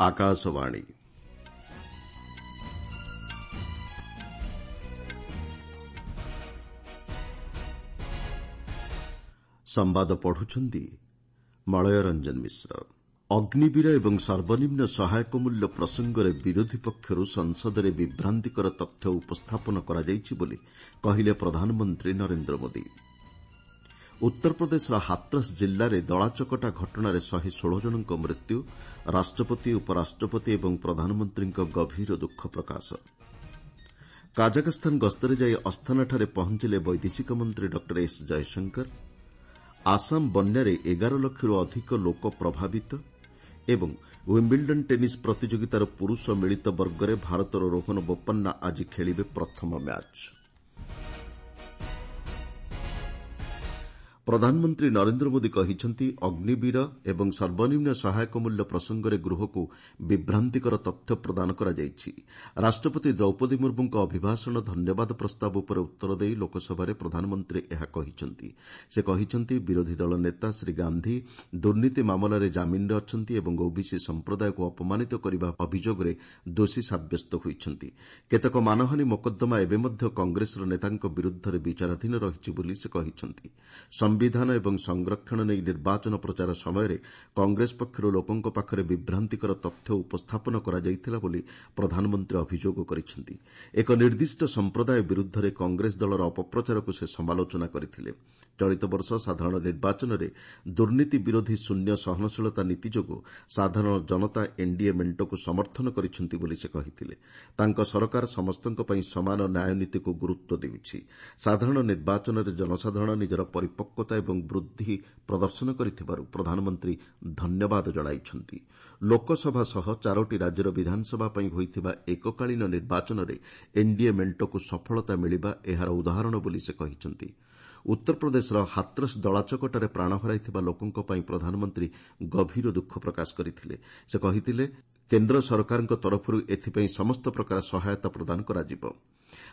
ଆକାଶବାଣୀ। ସମ୍ବାଦ ପଢୁଛନ୍ତି ମଳୟ ରଞ୍ଜନ ମିଶ୍ର। ଅଗ୍ନିବୀର ଏବଂ ସର୍ବନିମ୍ନ ସହାୟକ ମୂଲ୍ୟ ପ୍ରସଙ୍ଗରେ ବିରୋଧୀ ପକ୍ଷରୁ ସଂସଦରେ ବିଭ୍ରାନ୍ତିକର ତଥ୍ୟ ଉପସ୍ଥାପନ କରାଯାଇଛି ବୋଲି କହିଲେ ପ୍ରଧାନମନ୍ତ୍ରୀ ନରେନ୍ଦ୍ର ମୋଦି। ଉତ୍ତରପ୍ରଦେଶର ହାଥରସ୍ ଜିଲ୍ଲାରେ ଦଳାଚକଟା ଘଟଣାରେ 116 ଜଣଙ୍କ ମୃତ୍ୟୁ। ରାଷ୍ଟ୍ରପତି, ଉପରାଷ୍ଟ୍ରପତି ଏବଂ ପ୍ରଧାନମନ୍ତ୍ରୀଙ୍କ ଗଭୀର ଦୁଃଖ ପ୍ରକାଶ। କାଜାଖସ୍ତାନ ଗସ୍ତରେ ଯାଇ ଅସ୍ଥାନାଠାରେ ପହଞ୍ଚିଲେ ବୈଦେଶିକ ମନ୍ତ୍ରୀ ଡକ୍ଟର ଏସ୍ ଜୟଶଙ୍କର। ଆସାମ ବନ୍ୟାରେ 11 ଲକ୍ଷରୁ ଅଧିକ ଲୋକ ପ୍ରଭାବିତ ଏବଂ ୱିମ୍ବିଲ୍ଡନ୍ ଟେନିସ୍ ପ୍ରତିଯୋଗିତାର ପୁରୁଷ ମିଳିତ ବର୍ଗରେ ଭାରତର ରୋହନ ବୋପନ୍ନା ଆଜି ଖେଳିବେ ପ୍ରଥମ ମ୍ୟାଚ୍। ପ୍ରଧାନମନ୍ତ୍ରୀ ନରେନ୍ଦ୍ର ମୋଦି କହିଛନ୍ତି, ଅଗ୍ନିବୀର ଏବଂ ସର୍ବନିମ୍ନ ସହାୟକ ମୂଲ୍ୟ ପ୍ରସଙ୍ଗରେ ଗୃହକୁ ବିଭ୍ରାନ୍ତିକର ତଥ୍ୟ ପ୍ରଦାନ କରାଯାଇଛି। ରାଷ୍ଟ୍ରପତି ଦ୍ରୌପଦୀ ମୁର୍ମୁଙ୍କ ଅଭିଭାଷଣ ଧନ୍ୟବାଦ ପ୍ରସ୍ତାବ ଉପରେ ଉତ୍ତର ଦେଇ ଲୋକସଭାରେ ପ୍ରଧାନମନ୍ତ୍ରୀ ଏହା କହିଛନ୍ତି। ସେ କହିଛନ୍ତି, ବିରୋଧୀ ଦଳ ନେତା ଶ୍ରୀ ଗାନ୍ଧି ଦୁର୍ନୀତି ମାମଲାରେ ଜାମିନରେ ଅଛନ୍ତି ଏବଂ ଓବିସି ସମ୍ପ୍ରଦାୟକୁ ଅପମାନିତ କରିବା ଅଭିଯୋଗରେ ଦୋଷୀ ସାବ୍ୟସ୍ତ ହୋଇଛନ୍ତି। କେତେକ ମାନହାନୀ ମୋକଦ୍ଦମା ଏବେ ମଧ୍ୟ କଂଗ୍ରେସର ନେତାଙ୍କ ବିରୁଦ୍ଧରେ ବିଚାରାଧୀନ ରହିଛି ବୋଲି ସେ କହିଛନ୍ତି। ସମ୍ବିଧାନ ଏବଂ ସଂରକ୍ଷଣ ନେଇ ନିର୍ବାଚନ ପ୍ରଚାର ସମୟରେ କଂଗ୍ରେସ ପକ୍ଷରୁ ଲୋକଙ୍କ ପାଖରେ ବିଭ୍ରାନ୍ତିକର ତଥ୍ୟ ଉପସ୍ଥାପନ କରାଯାଇଥିଲା ବୋଲି ପ୍ରଧାନମନ୍ତ୍ରୀ ଅଭିଯୋଗ କରିଛନ୍ତି। ଏକ ନିର୍ଦ୍ଦିଷ୍ଟ ସମ୍ପ୍ରଦାୟ ବିରୁଦ୍ଧରେ କଂଗ୍ରେସ ଦଳର ଅପପ୍ରଚାରକୁ ସେ ସମାଲୋଚନା କରିଥିଲେ। ଚଳିତ ବର୍ଷ ସାଧାରଣ ନିର୍ବାଚନରେ ଦୁର୍ନୀତି ବିରୋଧୀ ଶୂନ୍ୟ ସହନଶୀଳତା ନୀତି ଯୋଗୁଁ ସାଧାରଣ ଜନତା ଏନ୍ଡିଏ ମେଣ୍ଟକୁ ସମର୍ଥନ କରିଛନ୍ତି ବୋଲି ସେ କହିଥିଲେ। ତାଙ୍କ ସରକାର ସମସ୍ତଙ୍କ ପାଇଁ ସମାନ ନ୍ୟାୟ ନୀତିକୁ ଗୁରୁତ୍ୱ ଦେଉଛି। ସାଧାରଣ ନିର୍ବାଚନରେ ଜନସାଧାରଣ ନିଜର ପରିପକ୍ୱତା ଏବଂ ବୁଦ୍ଧି ପ୍ରଦର୍ଶନ କରିଥିବାରୁ ପ୍ରଧାନମନ୍ତ୍ରୀ ଧନ୍ୟବାଦ ଜଣାଇଛନ୍ତି। ଲୋକସଭା ସହ ଚାରୋଟି ରାଜ୍ୟର ବିଧାନସଭା ପାଇଁ ହୋଇଥିବା ଏକକାଳୀନ ନିର୍ବାଚନରେ ଏନ୍ଡିଏ ମେଣ୍ଟକୁ ସଫଳତା ମିଳିବା ଏହାର ଉଦାହରଣ ବୋଲି ସେ କହିଛନ୍ତି। ଉତ୍ତରପ୍ରଦେଶର ହାଥରସ୍ ଦଳାଚକଟାରେ ପ୍ରାଣ ହରାଇଥିବା ଲୋକଙ୍କ ପାଇଁ ପ୍ରଧାନମନ୍ତ୍ରୀ ଗଭୀର ଦୁଃଖ ପ୍ରକାଶ କରିଥିଲେ। ସେ କହିଥିଲେ, କେନ୍ଦ୍ର ସରକାରଙ୍କ ତରଫରୁ ଏଥିପାଇଁ ସମସ୍ତ ପ୍ରକାର ସହାୟତା ପ୍ରଦାନ କରାଯିବ।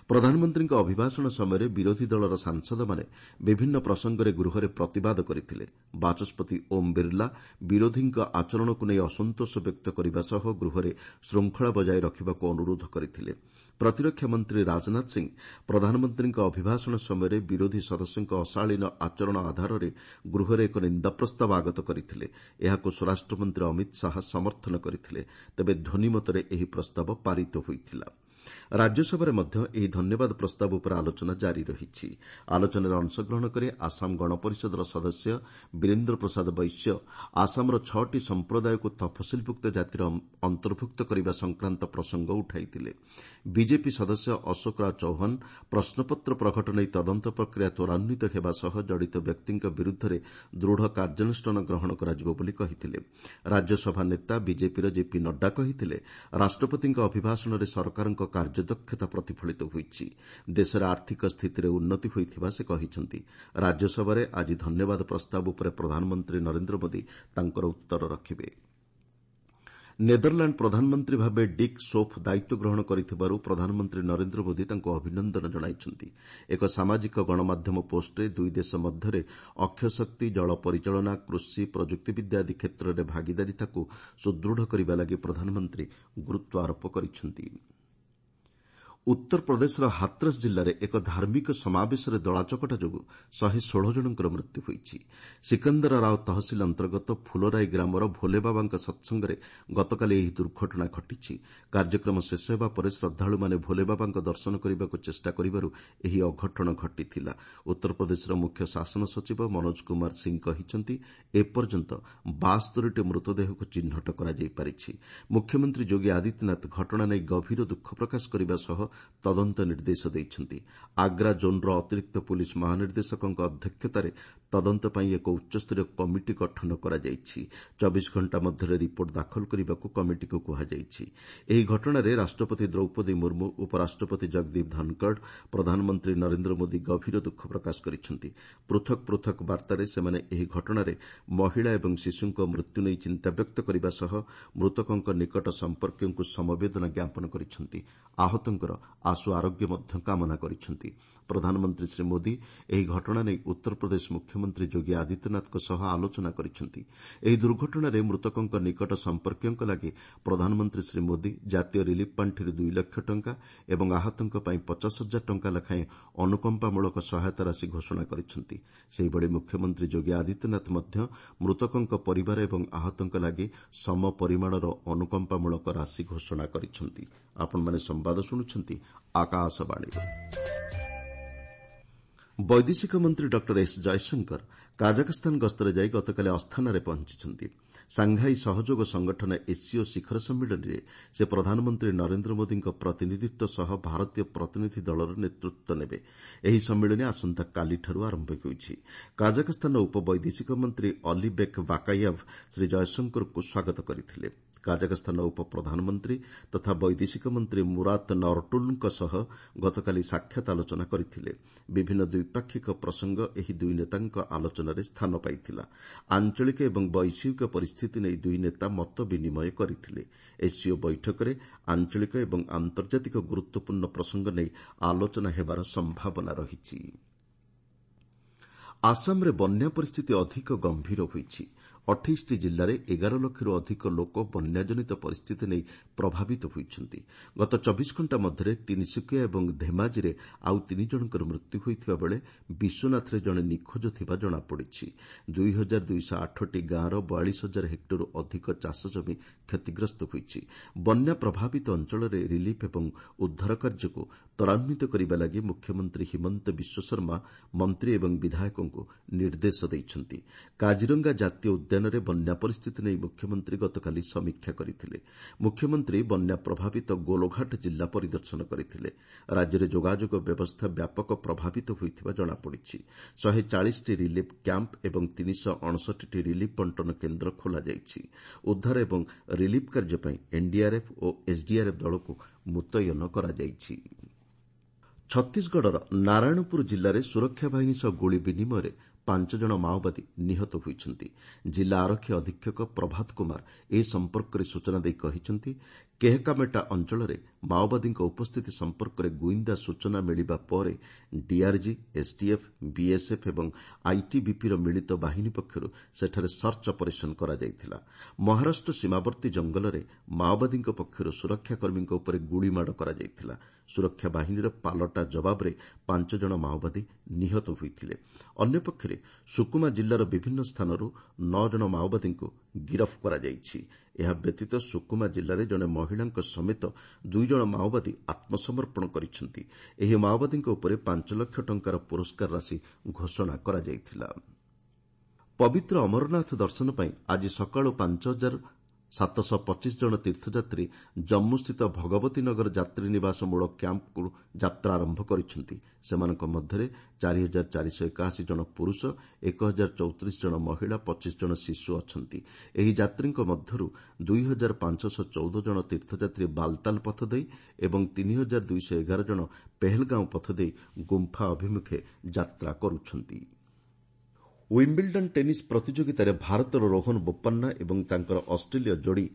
ପ୍ରଧାନମନ୍ତ୍ରୀଙ୍କ ଅଭିଭାଷଣ ସମୟରେ ବିରୋଧୀ ଦଳର ସାଂସଦମାନେ ବିଭିନ୍ନ ପ୍ରସଙ୍ଗରେ ଗୃହରେ ପ୍ରତିବାଦ କରିଥିଲେ। ବାଚସ୍ପତି ଓମ୍ ବିର୍ଲା ବିରୋଧୀଙ୍କ ଆଚରଣକୁ ନେଇ ଅସନ୍ତୋଷ ବ୍ୟକ୍ତ କରିବା ସହ ଗୃହରେ ଶୃଙ୍ଖଳା ବଜାୟ ରଖିବାକୁ ଅନୁରୋଧ କରିଥିଲେ। ପ୍ରତିରକ୍ଷା ମନ୍ତ୍ରୀ ରାଜନାଥ ସିଂ ପ୍ରଧାନମନ୍ତ୍ରୀଙ୍କ ଅଭିଭାଷଣ ସମୟରେ ବିରୋଧୀ ସଦସ୍ୟଙ୍କ ଅଶାଳୀନ ଆଚରଣ ଆଧାରରେ ଗୃହରେ ଏକ ନିନ୍ଦା ପ୍ରସ୍ତାବ ଆଗତ କରିଥିଲେ। ଏହାକୁ ସ୍ୱରାଷ୍ଟ୍ରମନ୍ତ୍ରୀ ଅମିତ ଶାହା ସମର୍ଥନ କରିଥିଲେ। ତେବେ ଧ୍ୱନିମତରେ ଏହି ପ୍ରସ୍ତାବ ପାରିତ ହୋଇଥିଲା। ରାଜ୍ୟସଭାରେ ମଧ୍ୟ ଏହି ଧନ୍ୟବାଦ ପ୍ରସ୍ତାବ ଉପରେ ଆଲୋଚନା ଜାରି ରହିଛି। ଆଲୋଚନାରେ ଅଂଶଗ୍ରହଣ କରି ଆସାମ ଗଣପରିଷଦର ସଦସ୍ୟ ବୀରେନ୍ଦ୍ର ପ୍ରସାଦ ବୈଶ୍ୟ ଆସାମର ଛଅଟି ସମ୍ପ୍ରଦାୟକୁ ତଫସିଲଭୁକ୍ତ ଜାତିର ଅନ୍ତର୍ଭୁକ୍ତ କରିବା ସଂକ୍ରାନ୍ତ ପ୍ରସଙ୍ଗ ଉଠାଇଥିଲେ। ବିଜେପି ସଦସ୍ୟ ଅଶୋକ ରାଜ ଚୌହାନ ପ୍ରଶ୍ନପତ୍ର ପ୍ରଘଟ ନେଇ ତଦନ୍ତ ପ୍ରକ୍ରିୟା ତ୍ୱରାନ୍ୱିତ ହେବା ସହ ଜଡ଼ିତ ବ୍ୟକ୍ତିଙ୍କ ବିରୁଦ୍ଧରେ ଦୃଢ଼ କାର୍ଯ୍ୟାନୁଷ୍ଠାନ ଗ୍ରହଣ କରାଯିବ ବୋଲି କହିଥିଲେ। ରାଜ୍ୟସଭା ନେତା ବିଜେପିର ଜେପି ନଡ୍ଡା କହିଥିଲେ, ରାଷ୍ଟ୍ରପତିଙ୍କ ଅଭିଭାଷଣରେ ସରକାରଙ୍କ କାର୍ଯ୍ୟଦକ୍ଷତା ପ୍ରତିଫଳିତ ହୋଇଛି। ଦେଶରେ ଆର୍ଥିକ ସ୍ଥିତିରେ ଉନ୍ନତି ହୋଇଥିବା ସେ କହିଛନ୍ତି। ରାଜ୍ୟସଭାରେ ଆଜି ଧନ୍ୟବାଦ ପ୍ରସ୍ତାବ ଉପରେ ପ୍ରଧାନମନ୍ତ୍ରୀ ନରେନ୍ଦ୍ର ମୋଦି ତାଙ୍କର ଉତ୍ତର ରଖିବେ। ନେଦରଲାଣ୍ଡ ପ୍ରଧାନମନ୍ତ୍ରୀ ଭାବେ ଡିକ୍ ସୋଫ୍ ଦାୟିତ୍ୱ ଗ୍ରହଣ କରିଥିବାରୁ ପ୍ରଧାନମନ୍ତ୍ରୀ ନରେନ୍ଦ୍ର ମୋଦି ତାଙ୍କୁ ଅଭିନନ୍ଦନ ଜଣାଇଛନ୍ତି। ଏକ ସାମାଜିକ ଗଣମାଧ୍ୟମ ପୋଷ୍ଟରେ ଦୁଇ ଦେଶ ମଧ୍ୟରେ ଅକ୍ଷୟଶକ୍ତି, ଜଳ ପରିଚାଳନା, କୃଷି, ପ୍ରଯୁକ୍ତିବିଦ୍ୟା ଆଦି କ୍ଷେତ୍ରରେ ଭାଗିଦାରିତାକୁ ସୁଦୃଢ଼ କରିବା ଲାଗି ପ୍ରଧାନମନ୍ତ୍ରୀ ଗୁରୁତ୍ୱ ଆରୋପ କରିଛନ୍ତି। ଉତ୍ତରପ୍ରଦେଶର ହାଥରସ୍ ଜିଲ୍ଲାରେ ଏକ ଧାର୍ମିକ ସମାବେଶରେ ଦଳାଚକଟା ଯୋଗୁଁ 116 ଜଣଙ୍କର ମୃତ୍ୟୁ ହୋଇଛି। ସିକନ୍ଦରା ରାଓ ତହସିଲ ଅନ୍ତର୍ଗତ ଫୁଲରାଇ ଗ୍ରାମର ଭୋଲେବାବାଙ୍କ ସତ୍ସଙ୍ଗରେ ଗତକାଲି ଏହି ଦୁର୍ଘଟଣା ଘଟିଛି। କାର୍ଯ୍ୟକ୍ରମ ଶେଷ ହେବା ପରେ ଶ୍ରଦ୍ଧାଳୁମାନେ ଭୋଲେବାବାଙ୍କ ଦର୍ଶନ କରିବାକୁ ଚେଷ୍ଟା କରିବାରୁ ଏହି ଅଘଟଣ ଘଟିଥିଲା। ଉତ୍ତରପ୍ରଦେଶର ମୁଖ୍ୟ ଶାସନ ସଚିବ ମନୋଜ କୁମାର ସିଂ କହିଛନ୍ତି, ଏପର୍ଯ୍ୟନ୍ତ 72ଟି ମୃତଦେହକୁ ଚିହ୍ନଟ କରାଯାଇପାରିଛି। ମୁଖ୍ୟମନ୍ତ୍ରୀ ଯୋଗୀ ଆଦିତ୍ୟନାଥ ଘଟଣା ନେଇ ଗଭୀର ଦୁଃଖ ପ୍ରକାଶ କରିବା ସହ ତଦନ୍ତ ନିର୍ଦ୍ଦେଶ ଦେଇଛନ୍ତି। ଆଗ୍ରା ଜୋନ୍ର ଅତିରିକ୍ତ ପୁଲିସ୍ ମହାନିର୍ଦ୍ଦେଶକଙ୍କ ଅଧ୍ୟକ୍ଷତାରେ ତଦନ୍ତ ପାଇଁ ଏକ ଉଚ୍ଚସ୍ତରୀୟ କମିଟି ଗଠନ କରାଯାଇଛି। 24 ଘଣ୍ଟା ମଧ୍ୟରେ ରିପୋର୍ଟ ଦାଖଲ କରିବାକୁ କମିଟିକୁ କୁହାଯାଇଛି। ଏହି ଘଟଣାରେ ରାଷ୍ଟ୍ରପତି ଦ୍ରୌପଦୀ ମୁର୍ମୁ, ଉପରାଷ୍ଟ୍ରପତି ଜଗଦୀପ ଧନକଡ଼, ପ୍ରଧାନମନ୍ତ୍ରୀ ନରେନ୍ଦ୍ର ମୋଦି ଗଭୀର ଦୁଃଖ ପ୍ରକାଶ କରିଛନ୍ତି। ପୃଥକ୍ ପୃଥକ୍ ବାର୍ତ୍ତାରେ ସେମାନେ ଏହି ଘଟଣାରେ ମହିଳା ଏବଂ ଶିଶୁଙ୍କ ମୃତ୍ୟୁ ନେଇ ଚିନ୍ତାବ୍ୟକ୍ତ କରିବା ସହ ମୃତକଙ୍କ ନିକଟ ସମ୍ପର୍କୀୟଙ୍କୁ ସମବେଦନା ଜ୍ଞାପନ କରିଛନ୍ତି। ଆହତଙ୍କର ଆଶୁ ଆରୋଗ୍ୟ ମଧ୍ୟ କାମନା କରିଛନ୍ତି। ପ୍ରଧାନମନ୍ତ୍ରୀ ଶ୍ରୀ ମୋଦି ଏହି ଘଟଣା ନେଇ ଉତ୍ତରପ୍ରଦେଶ ମୁଖ୍ୟମନ୍ତ୍ରୀ ଯୋଗୀ ଆଦିତ୍ୟନାଥଙ୍କ ସହ ଆଲୋଚନା କରିଛନ୍ତି। ଏହି ଦୁର୍ଘଟଣାରେ ମୃତକଙ୍କ ନିକଟ ସମ୍ପର୍କୀୟଙ୍କ ଲାଗି ପ୍ରଧାନମନ୍ତ୍ରୀ ଶ୍ରୀ ମୋଦି ଜାତୀୟ ରିଲିଫ୍ ପାଣ୍ଠିରୁ 2 ଲକ୍ଷ ଟଙ୍କା ଏବଂ ଆହତଙ୍କ ପାଇଁ 50 ହଜାର ଟଙ୍କା ଲେଖାଏଁ ଅନୁକମ୍ପାମୂଳକ ସହାୟତା ରାଶି ଘୋଷଣା କରିଛନ୍ତି। ସେହିଭଳି ମୁଖ୍ୟମନ୍ତ୍ରୀ ଯୋଗୀ ଆଦିତ୍ୟନାଥ ମଧ୍ୟ ମୃତକଙ୍କ ପରିବାର ଏବଂ ଆହତଙ୍କ ଲାଗି ସମ ପରିମାଣର ଅନୁକମ୍ପାମୂଳକ ରାଶି ଘୋଷଣା କରିଛନ୍ତି। ବୈଦେଶିକ ମନ୍ତ୍ରୀ ଡକ୍ଟର ଏସ୍ ଜୟଶଙ୍କର କାଜାଖସ୍ତାନ ଗସ୍ତରେ ଯାଇ ଗତକାଲି ଅସ୍ଥାନାରେ ପହଞ୍ଚିଛନ୍ତି। ସାଂଘାଇ ସହଯୋଗ ସଂଗଠନ ଏସ୍ସିଓ ଶିଖର ସମ୍ମିଳନୀରେ ସେ ପ୍ରଧାନମନ୍ତ୍ରୀ ନରେନ୍ଦ୍ର ମୋଦିଙ୍କ ପ୍ରତିନିଧିତ୍ୱ ସହ ଭାରତୀୟ ପ୍ରତିନିଧି ଦଳର ନେତୃତ୍ୱ ନେବେ। ଏହି ସମ୍ମିଳନୀ ଆସନ୍ତାକାଲିଠାରୁ ଆରମ୍ଭ ହେଉଛି। କାଜାଖସ୍ତାନର ଉପବୈଦେଶିକ ମନ୍ତ୍ରୀ ଅଲିବେକ୍ ବାକାୟାଭ୍ ଶ୍ରୀ ଜୟଶଙ୍କରଙ୍କୁ ସ୍ୱାଗତ କରିଥିଲେ। କାଜାଖସ୍ତାନର ଉପପ୍ରଧାନମନ୍ତ୍ରୀ ତଥା ବୈଦେଶିକ ମନ୍ତ୍ରୀ ମୁରାତ ନରଟୁଲ୍ଙ୍କ ସହ ଗତକାଲି ସାକ୍ଷାତ ଆଲୋଚନା କରିଥିଲେ। ବିଭିନ୍ନ ଦ୍ୱିପାକ୍ଷିକ ପ୍ରସଙ୍ଗ ଏହି ଦୁଇ ନେତାଙ୍କ ଆଲୋଚନାରେ ସ୍ଥାନ ପାଇଥିଲା। ଆଞ୍ଚଳିକ ଏବଂ ବୈଶ୍ୱିକ ପରିସ୍ଥିତି ନେଇ ଦୁଇ ନେତା ମତ ବିନିମୟ କରିଥିଲେ। ଏସ୍ସିଓ ବୈଠକରେ ଆଞ୍ଚଳିକ ଏବଂ ଆନ୍ତର୍ଜାତିକ ଗୁରୁତ୍ୱପୂର୍ଣ୍ଣ ପ୍ରସଙ୍ଗ ନେଇ ଆଲୋଚନା ହେବାର ସମ୍ଭାବନା ରହିଛି। ଆସାମରେ ବନ୍ୟା ପରିସ୍ଥିତି ଅଧିକ ଗମ୍ଭୀର ହୋଇଛି। 28ଟି ଜିଲ୍ଲାରେ 11 ଲକ୍ଷରୁ ଅଧିକ ଲୋକ ବନ୍ୟାଜନିତ ପରିସ୍ଥିତି ନେଇ ପ୍ରଭାବିତ ହୋଇଛନ୍ତି। ଗତ 24 ଘଣ୍ଟା ମଧ୍ୟରେ ତିନିସୁକିଆ ଏବଂ ଧେମାଜିରେ ଆଉ ତିନି ଜଣଙ୍କର ମୃତ୍ୟୁ ହୋଇଥିବା ବେଳେ ବିଶ୍ୱନାଥରେ ଜଣେ ନିଖୋଜ ଥିବା ଜଣାପଡ଼ିଛି। 2208ଟି ଗାଁର 42 ହଜାର ହେକ୍ଟରରୁ ଅଧିକ ଚାଷଜମି କ୍ଷତିଗ୍ରସ୍ତ ହୋଇଛି। ବନ୍ୟା ପ୍ରଭାବିତ ଅଞ୍ଚଳରେ ରିଲିଫ୍ ଏବଂ ଉଦ୍ଧାର କାର୍ଯ୍ୟକୁ ତ୍ୱରାନ୍ୱିତ କରିବା ଲାଗି ମୁଖ୍ୟମନ୍ତ୍ରୀ ହିମନ୍ତ ବିଶ୍ୱଶର୍ମା ମନ୍ତ୍ରୀ ଏବଂ ବିଧାୟକଙ୍କୁ ନିର୍ଦ୍ଦେଶ ଦେଇଛନ୍ତି। କାଜିରଙ୍ଗା ଜାତୀୟ ଉଦ୍ୟାନରେ ବନ୍ୟା ପରିସ୍ଥିତି ନେଇ ମୁଖ୍ୟମନ୍ତ୍ରୀ ଗତକାଲି ସମୀକ୍ଷା କରିଥିଲେ। ମୁଖ୍ୟମନ୍ତ୍ରୀ ବନ୍ୟା ପ୍ରଭାବିତ ଗୋଲଘାଟ ଜିଲ୍ଲା ପରିଦର୍ଶନ କରିଥିଲେ। ରାଜ୍ୟରେ ଯୋଗାଯୋଗ ବ୍ୟବସ୍ଥା ବ୍ୟାପକ ପ୍ରଭାବିତ ହୋଇଥିବା ଜଣାପଡ଼ିଛି। 140ଟି ରିଲିଫ୍ କ୍ୟାମ୍ପ ଏବଂ 359ଟି ରିଲିଫ୍ ବଣ୍ଟନ କେନ୍ଦ୍ର ଖୋଲାଯାଇଛି। ଉଦ୍ଧାର ଏବଂ ରିଲିଫ୍ କାର୍ଯ୍ୟ ପାଇଁ ଏନ୍ଡିଆର୍ଏଫ୍ ଓ ଏସ୍ଡିଆର୍ଏଫ୍ ଦଳକୁ ମୁତୟନ କରାଯାଇଛି। ଛତିଶଗଡ଼ର ନାରାୟଣପୁର ଜିଲ୍ଲାରେ ସୁରକ୍ଷା ବାହିନୀ ସହ ଗୁଳି ବିନିମୟରେ 5 ଜଣ ମାଓବାଦୀ ନିହତ ହୋଇଛନ୍ତି। ଜିଲ୍ଲା ଆରକ୍ଷୀ ଅଧୀକ୍ଷକ ପ୍ରଭାତ କୁମାର ଏ ସମ୍ପର୍କରେ ସୂଚନା ଦେଇ କହିଛନ୍ତି, କେହକାମେଟା ଅଞ୍ଚଳରେ ମାଓବାଦୀଙ୍କ ଉପସ୍ଥିତି ସମ୍ପର୍କରେ ଗୁଇନ୍ଦା ସୂଚନା ମିଳିବା ପରେ ଡିଆର୍ଜି, ଏସ୍ଟିଏଫ୍, ବିଏସ୍ଏଫ୍ ଏବଂ ଆଇଟିବିପିର ମିଳିତ ବାହିନୀ ପକ୍ଷରୁ ସେଠାରେ ସର୍ଚ୍ଚ ଅପରେସନ୍ କରାଯାଇଥିଲା। ମହାରାଷ୍ଟ୍ର ସୀମାବର୍ତ୍ତୀ ଜଙ୍ଗଲରେ ମାଓବାଦୀଙ୍କ ପକ୍ଷରୁ ସୁରକ୍ଷାକର୍ମୀଙ୍କ ଉପରେ ଗୁଳିମାଡ଼ କରାଯାଇଥିଲା। ସୁରକ୍ଷା ବାହିନୀର ପାଲଟା ଜବାବରେ 5 ଜଣ ମାଓବାଦୀ ନିହତ ହୋଇଥିଲେ। ଅନ୍ୟପକ୍ଷରେ ସୁକୁମା ଜିଲ୍ଲାର ବିଭିନ୍ନ ସ୍ଥାନରୁ 9 ଜଣ ମାଓବାଦୀଙ୍କୁ ଗିରଫ କରାଯାଇଛି। ଏହା ବ୍ୟତୀତ ସୁକୁମା ଜିଲ୍ଲାରେ ଜଣେ ମହିଳାଙ୍କ ସମେତ 2 ଜଣ ମାଓବାଦୀ ଆତ୍ମସମର୍ପଣ କରିଛନ୍ତି। ଏହି ମାଓବାଦୀଙ୍କ ଉପରେ 5 ଲକ୍ଷ ଟଙ୍କାର ପୁରସ୍କାର ରାଶି ଘୋଷଣା କରାଯାଇଥିଲା। ପବିତ୍ର ଅମରନାଥ ଦର୍ଶନ ପାଇଁ ଆଜି ସକାଳୁ 5725 ଜଣ ତୀର୍ଥଯାତ୍ରୀ ଜମ୍ମୁସ୍ଥିତ ଭଗବତୀ ନଗର ଯାତ୍ରୀ ନିବାସ ମୂଳ କ୍ୟାମ୍ପରୁ ଯାତ୍ରା ଆରମ୍ଭ କରିଛନ୍ତି। ସେମାନଙ୍କ ମଧ୍ୟରେ 4481 ଜଣ ପୁରୁଷ, 1034 ଜଣ ମହିଳା, 25 ଜଣ ଶିଶୁ ଅଛନ୍ତି। ଏହି ଯାତ୍ରୀଙ୍କ ମଧ୍ୟରୁ 2514 ଜଣ ତୀର୍ଥଯାତ୍ରୀ ବାଲତାଲ ପଥ ଦେଇ ଏବଂ 3211 ଜଣ ପେହେଲଗାଁଓ ପଥ ଦେଇ ଗୁମ୍ଫା ଅଭିମୁଖେ ଯାତ୍ରା କରୁଛନ୍ତି। ୱିମ୍ବିଲ୍ଡନ୍ ଟେନିସ୍ ପ୍ରତିଯୋଗିତାରେ ଭାରତର ରୋହନ ବୋପାନ୍ନା ଏବଂ ତାଙ୍କର ଅଷ୍ଟ୍ରେଲୀୟ ଯୋଡ଼ି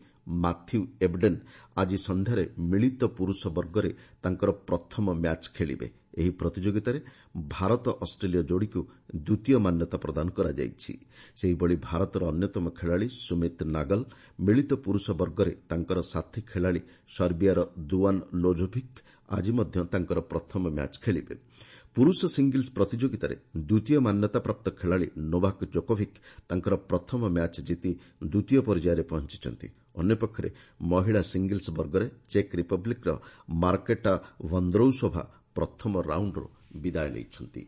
ମାଥ୍ୟୁ ଏବଡେନ୍ ଆଜି ସନ୍ଧ୍ୟାରେ ମିଳିତ ପୁରୁଷ ବର୍ଗରେ ତାଙ୍କର ପ୍ରଥମ ମ୍ୟାଚ୍ ଖେଳିବେ। ଏହି ପ୍ରତିଯୋଗିତାରେ ଭାରତ ଅଷ୍ଟ୍ରେଲୀୟ ଯୋଡ଼ିକୁ ଦ୍ୱିତୀୟ ମାନ୍ୟତା ପ୍ରଦାନ କରାଯାଇଛି। ସେହିଭଳି ଭାରତର ଅନ୍ୟତମ ଖେଳାଳି ସୁମିତ ନାଗଲ ମିଳିତ ପୁରୁଷ ବର୍ଗରେ ତାଙ୍କର ସାଥୀ ଖେଳାଳି ସର୍ବିଆର ଦୁଆନ୍ ଲୋଜୋଭିକ୍ ଆଜି ମଧ୍ୟ ତାଙ୍କର ପ୍ରଥମ ମ୍ୟାଚ୍ ଖେଳିବେ। ପୁରୁଷ ସିଙ୍ଗଲ୍ସ ପ୍ରତିଯୋଗିତାରେ ଦ୍ୱିତୀୟ ମାନ୍ୟତାପ୍ରାପ୍ତ ଖେଳାଳି ନୋଭାକ୍ ଜୋକୋଭିକ୍ ତାଙ୍କର ପ୍ରଥମ ମ୍ୟାଚ୍ ଜିତି ଦ୍ୱିତୀୟ ପର୍ଯ୍ୟାୟରେ ପହଞ୍ଚିଛନ୍ତି। ଅନ୍ୟପକ୍ଷରେ ମହିଳା ସିଙ୍ଗଲ୍ସ ବର୍ଗରେ ଚେକ୍ ରିପବ୍ଲିକ୍ର ମାର୍କେଟା ଭନ୍ଦ୍ରୌସୋଭା ପ୍ରଥମ ରାଉଣ୍ଡରୁ ବିଦାୟ ନେଇଛନ୍ତି।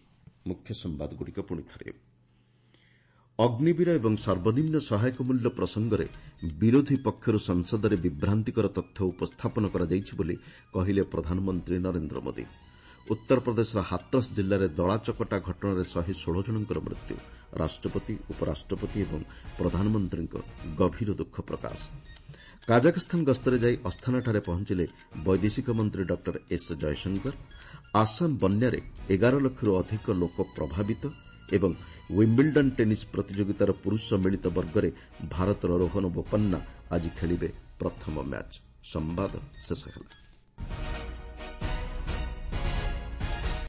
ଅଗ୍ନିବୀର ଏବଂ ସର୍ବନିମ୍ନ ସହାୟକ ମୂଲ୍ୟ ପ୍ରସଙ୍ଗରେ ବିରୋଧୀ ପକ୍ଷରୁ ସଂସଦରେ ବିଭ୍ରାନ୍ତିକର ତଥ୍ୟ ଉପସ୍ଥାପନ କରାଯାଇଛି ବୋଲି କହିଲେ ପ୍ରଧାନମନ୍ତ୍ରୀ ନରେନ୍ଦ୍ର ମୋଦି। ଉତ୍ତରପ୍ରଦେଶର ହାଥରସ୍ ଜିଲ୍ଲାରେ ଦଳାଚକଟା ଘଟଣାରେ 116 ଜଣଙ୍କର ମୃତ୍ୟୁ। ରାଷ୍ଟ୍ରପତି, ଉପରାଷ୍ଟ୍ରପତି ଏବଂ ପ୍ରଧାନମନ୍ତ୍ରୀଙ୍କ ଗଭୀର ଦୁଃଖ ପ୍ରକାଶ। କାଜାଖସ୍ତାନ ଗସ୍ତରେ ଯାଇ ଅସ୍ଥାନାଠାରେ ପହଞ୍ଚିଲେ ବୈଦେଶିକ ମନ୍ତ୍ରୀ ଡକ୍ଟର ଏସ୍ ଜୟଶଙ୍କର। ଆସାମ ବନ୍ୟାରେ 11 ଲକ୍ଷରୁ ଅଧିକ ଲୋକ ପ୍ରଭାବିତ ଏବଂ ୱିମ୍ବିଲ୍ଡନ୍ ଟେନିସ୍ ପ୍ରତିଯୋଗିତାର ପୁରୁଷ ମିଳିତ ବର୍ଗରେ ଭାରତର ରୋହନ ବୋପାନ୍ନା ଆଜି ଖେଳିବେ ପ୍ରଥମ ମ୍ୟାଚ୍। ସମ୍ବାଦ ଶେଷ ହେଲା।